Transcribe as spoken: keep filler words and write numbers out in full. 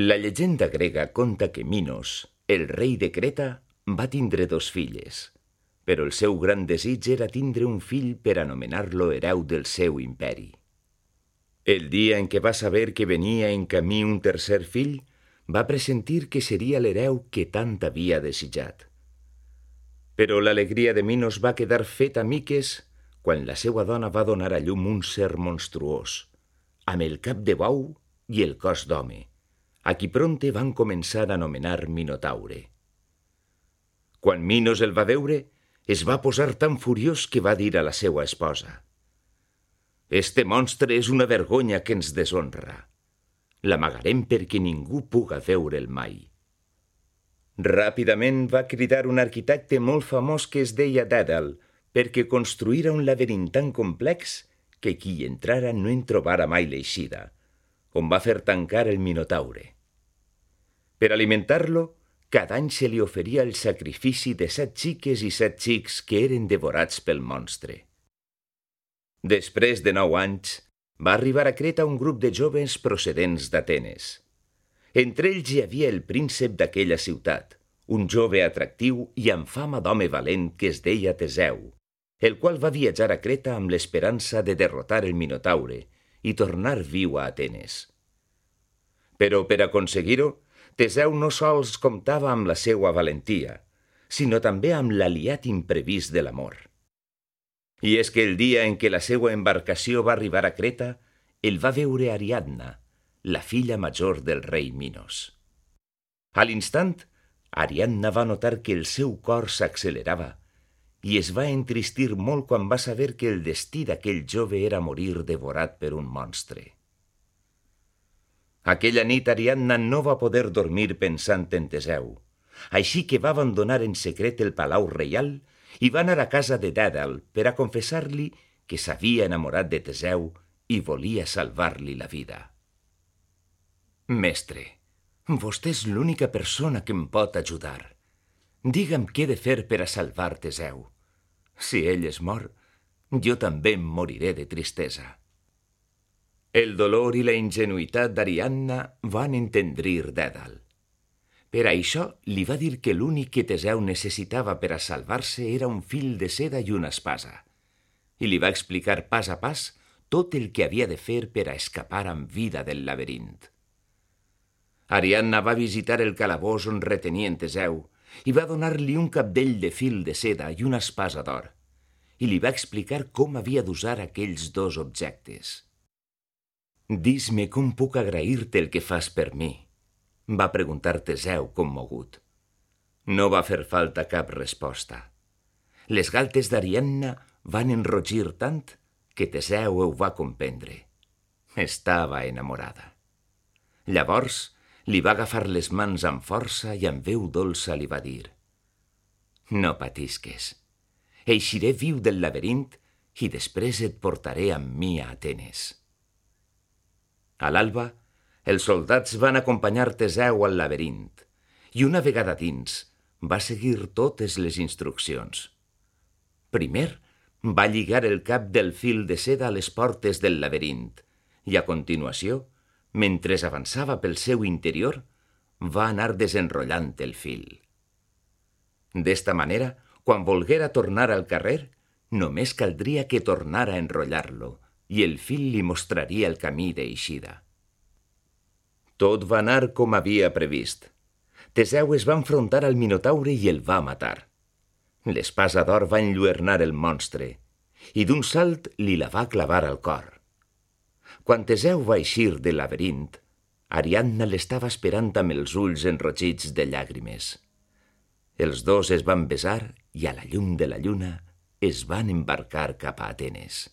La llegenda grega conta que Minos, el rei de Creta, va tindre dos filles, però el seu gran desig era tindre un fill per anomenar-lo hereu del seu imperi. El dia en què va saber que venia en camí un tercer fill, va pressentir que seria l'hereu que tant havia desitjat. Però l'alegria de Minos va quedar feta miques quan la seva dona va donar a llum un ser monstruós, amb el cap de bou i el cos d'home, a qui prompte van començar a anomenar Minotaure. Quan Minos el va veure, es va posar tan furiós que va dir a la seva esposa: «Este monstre és una vergonya que ens deshonra. L'amagarem perquè ningú puga veure'l mai». Ràpidament va cridar un arquitecte molt famós que es deia Dèdal perquè construïra un laberint tan complex que qui hi entrara no en trobara mai l'eixida, on va fer tancar el Minotaure. Per alimentar-lo, cada any se li oferia el sacrifici de set xiques i set xics que eren devorats pel monstre. Després de nou anys, va arribar a Creta un grup de joves procedents d'Atenes. Entre ells hi havia el príncep d'aquella ciutat, un jove atractiu i amb fama d'home valent que es deia Teseu, el qual va viatjar a Creta amb l'esperança de derrotar el Minotaure i tornar viu a Atenes. Però per aconseguir-ho, Teseu no sols comptava amb la seva valentia, sinó també amb l'aliat imprevist de l'amor. I és que el dia en què la seva embarcació va arribar a Creta, el va veure Ariadna, la filla major del rei Minos. A l'instant, Ariadna va notar que el seu cor s'accelerava i es va entristir molt quan va saber que el destí d'aquell jove era morir devorat per un monstre. Aquella nit Ariadna no va poder dormir pensant en Teseu, així que va abandonar en secret el palau reial i va anar a casa de Dèdal per a confessar-li que s'havia enamorat de Teseu i volia salvar-li la vida. «Mestre, vostè és l'única persona que em pot ajudar. Digue'm què he de fer per a salvar Teseu. Si ell es mor, jo també em moriré de tristesa». El dolor i la ingenuïtat d'Ariadna van entendrir Dèdal. Per això li va dir que l'únic que Teseu necessitava per a salvar-se era un fil de seda i una espasa, i li va explicar pas a pas tot el que havia de fer per a escapar amb vida del laberint. Ariadna va visitar el calabós on retenien Teseu i va donar-li un cabdell de fil de seda i una espasa d'or, i li va explicar com havia d'usar aquells dos objectes. «Dis-me com puc agrair-te el que fas per mi», va preguntar Teseu commogut. No va fer falta cap resposta. Les galtes d'Ariadna van enrogir tant que Teseu ho va comprendre. Estava enamorada. Llavors li va agafar les mans amb força i amb veu dolça li va dir: «No patisques. Eixiré viu del laberint i després et portaré amb mi a Atenes». A l'alba, els soldats van acompanyar Teseu al laberint i una vegada dins va seguir totes les instruccions. Primer va lligar el cap del fil de seda a les portes del laberint i a continuació, mentre avançava pel seu interior, va anar desenrotllant el fil. D'esta manera, quan volguera tornar al carrer, només caldria que tornara a enrotllar-lo i el fil li mostraria el camí d'eixida. Tot va anar com havia previst. Teseu es va enfrontar al Minotaure i el va matar. L'espasa d'or va enlluernar el monstre i d'un salt li la va clavar al cor. Quan Teseu va eixir del laberint, Ariadna l'estava esperant amb els ulls enrogits de llàgrimes. Els dos es van besar i a la llum de la lluna es van embarcar cap a Atenes.